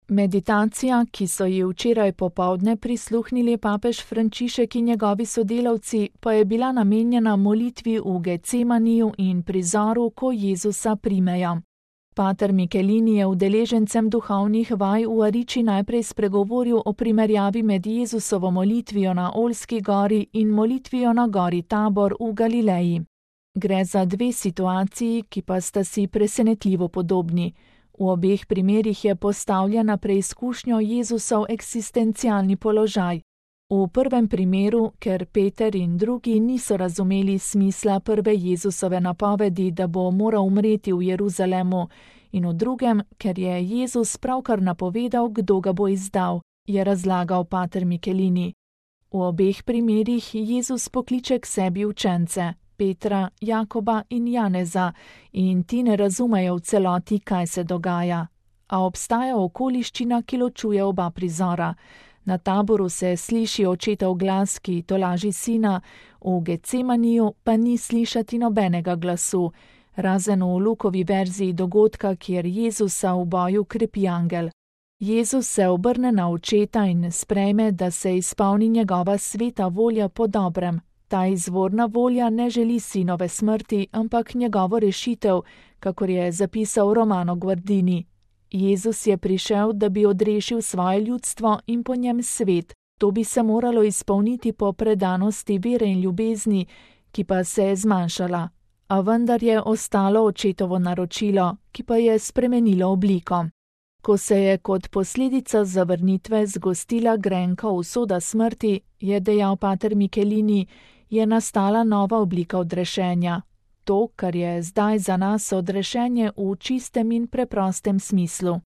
Meditacija, ki so ji včeraj popoldne prisluhnili papež Frančišek in njegovi sodelavci, pa je bila namenjena molitvi v Getsemaniju in prizoru, ko Jezusa primejo. Pater Michelini je udeležencem duhovnih vaj v Ariči najprej spregovoril o primerjavi med Jezusovo molitvijo na Oljski gori in molitvijo na gori Tabor v Galileji. Gre za dve situaciji, ki pa sta si presenetljivo podobni. V obeh primerih je postavljen na preizkušnjo Jezusov eksistencialni položaj. V prvem primeru, ker Peter in drugi niso razumeli smisla prve Jezusove napovedi, da bo moral umreti v Jeruzalemu, in v drugem, ker je Jezus pravkar napovedal, kdo ga bo izdal, je razlagal pater Michelini. V obeh primerih Jezus pokliče k sebi učence, Petra, Jakoba in Janeza, in ti ne razumejo v celoti, kaj se dogaja. A obstaja okoliščina, ki ločuje oba prizora. Na Taboru se sliši očetov glas, ki tolaži sina, v Getsemaniju pa ni slišati nobenega glasu, razen v Lukovi verziji dogodka, kjer Jezusa v boju krepi angel. Jezus se obrne na očeta in sprejme, da se izpolni njegova sveta volja po dobrem. Ta izvorna volja ne želi sinove smrti, ampak njegovo rešitev, kakor je zapisal Romano Guardini. Jezus je prišel, da bi odrešil svoje ljudstvo in po njem svet. To bi se moralo izpolniti po predanosti vere in ljubezni, ki pa se je zmanjšala. A vendar je ostalo očetovo naročilo, ki pa je spremenilo obliko. Ko se je kot posledica zavrnitve zgostila grenka usoda smrti, je dejal pater Michelini, je nastala nova oblika odrešenja. To, kar je zdaj za nas odrešenje v čistem in preprostem smislu.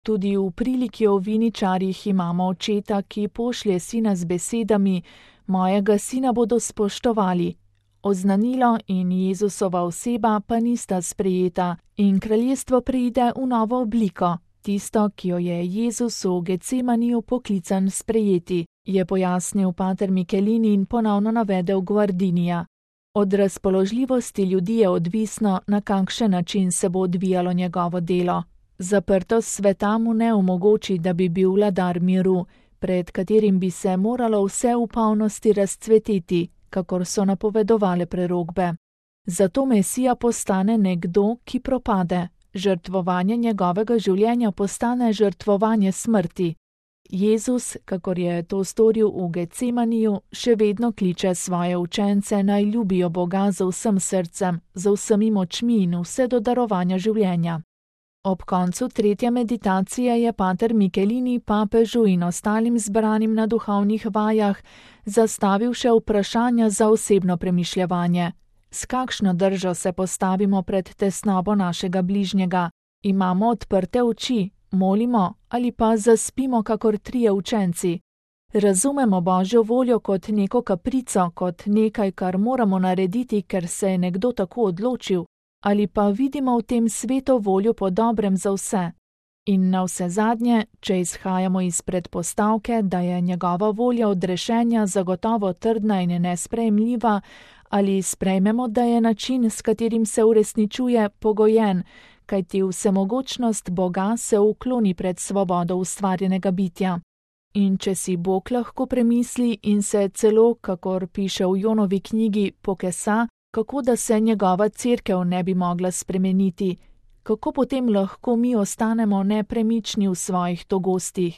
Tudi v priliki o viničarjih imamo očeta, ki pošlje sina z besedami: mojega sina bodo spoštovali. Oznanilo in Jezusova oseba pa nista sprejeta in kraljestvo preide v novo obliko, tisto, ki jo je Jezus v Getsemaniju poklican sprejeti, je pojasnil pater Michelini in ponovno navedel Guardinija. Od razpoložljivosti ljudi je odvisno, na kakšen način se bo odvijalo njegovo delo. Zaprtost sveta mu ne omogoči, da bi bil vladar miru, pred katerim bi se moralo vse v polnosti razcveteti, kakor so napovedovale prerokbe. Zato Mesija postane nekdo, ki propade. Žrtvovanje njegovega življenja postane žrtvovanje smrti. Jezus, kakor je to storil v Getsemaniju, še vedno kliče svoje učence, naj ljubijo Boga z vsem srcem, z vsemi močmi in vse do darovanja življenja. Ob koncu tretje meditacije je pater Michelini papežu in ostalim zbranim na duhovnih vajah zastavil še vprašanja za osebno premišljevanje. S kakšno držo se postavimo pred tesnobo našega bližnjega? Imamo odprte oči? Molimo ali pa zaspimo kakor trije učenci? Razumemo Božjo voljo kot neko kaprico, kot nekaj, kar moramo narediti, ker se je nekdo tako odločil, ali pa vidimo v tem svetu voljo po dobrem za vse? In navsezadnje, če izhajamo iz predpostavke, da je njegova volja odrešenja zagotovo trdna in nesprejemljiva, ali sprejmemo, da je način, s katerim se uresničuje, pogojen, kajti vsemogočnost Boga se ukloni pred svobodo ustvarjenega bitja. In če si Bog lahko premisli in se celo, kakor piše v Jonovi knjigi, pokesa, kako da se njegova cerkev ne bi mogla spremeniti, kako potem lahko mi ostanemo nepremični v svojih togostih?